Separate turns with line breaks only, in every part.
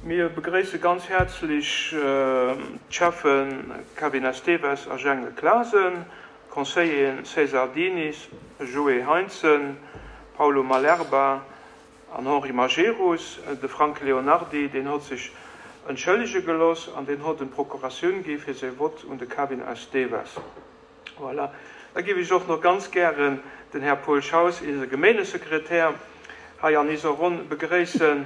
Mir begréisse ganz häerzlech d'Schäffe Kevin Esteves a Jengel Clasen, d'Conseilleren César Diniz, Joé Heintzen, Paulo Malerba an Henri Majerus. De Frank Leonardy, deen hott sech entschëllege geloss an deen hott en Procuratioun gi fir säi Vott un de Kevin Esteves. Voilà. Da géif ech och nach ganz gären den Här Paul Schaus, eise Gemeengesekretär, hei an iser Ronn begréissen.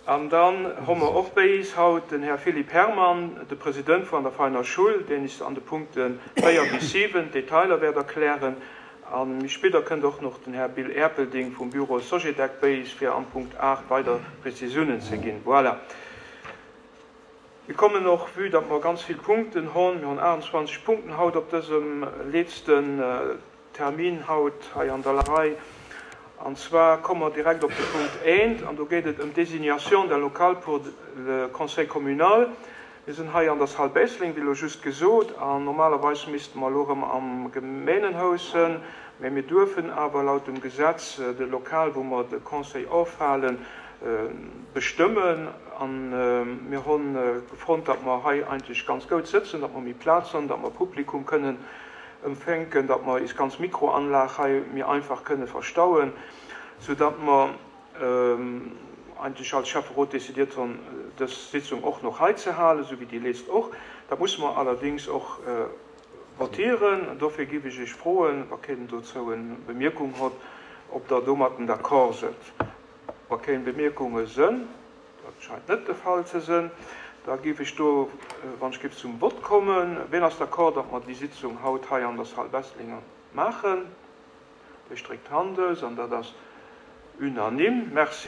An dann hu mer och béi is haut den Här Philippe Herrmann, de President vuan der Veiner Schull, deen is an de Punkte 4 bis 7 d'Detailer wäert erklären. A méi spidder kënnt och noch den Här Bill Erpelding vum Büro Sogedec béi is, fir am Punkt 8 weider Prezisiounen ze ginn. Voilà. Mir kommen och, vue datt mer ganz vill Punkten hon, mir hon 28 Punkten haut op dësem letzten Termin haut hei an der Rei, an zwar komme mer direkt op de Punkt eent, an do geet et ëm d'Désignation d'un local pour le Conseil communal. Mir sinn hei an der Salle Besling, wéi elo just gesot, an normalerweis misste mer elo erëm am Gemeengenhaus sënn, mä mir duerfen awer laut dem Gesetz de Lokal, wou mer de Conseil ofhalen, bestëmmen. An mir honn gefonnt, datt mer hei eigentlech ganz goud sëtzen, datt mer méi Plaz honn, datt mer Publikum kënnen empfänken, datt mer is ganz Mikroanlag hei méi einfach kënne verstauen, sou datt mer eigentlech als Schäfferot décidiert honn, dës Sitzung och noch hei ze halen, sou wéi déi leest och. Dat musse mer allerdings och votieren. Dofir giff ech Iech froen, wa keen dozou en Bemierkung hott, ob Der domatten d'accord sëtt. Wa keng Bemierkunge sënn, dat scheint net de Fall ze sënn, da géif ech do, wann ech géif, zum Vott kommen. Ween ass d'accord, datt mer déi Sitzung haut hei an der Salle Besselinger maachen? Dir stréckt d'Hand aus an dat ass unanime. Merci.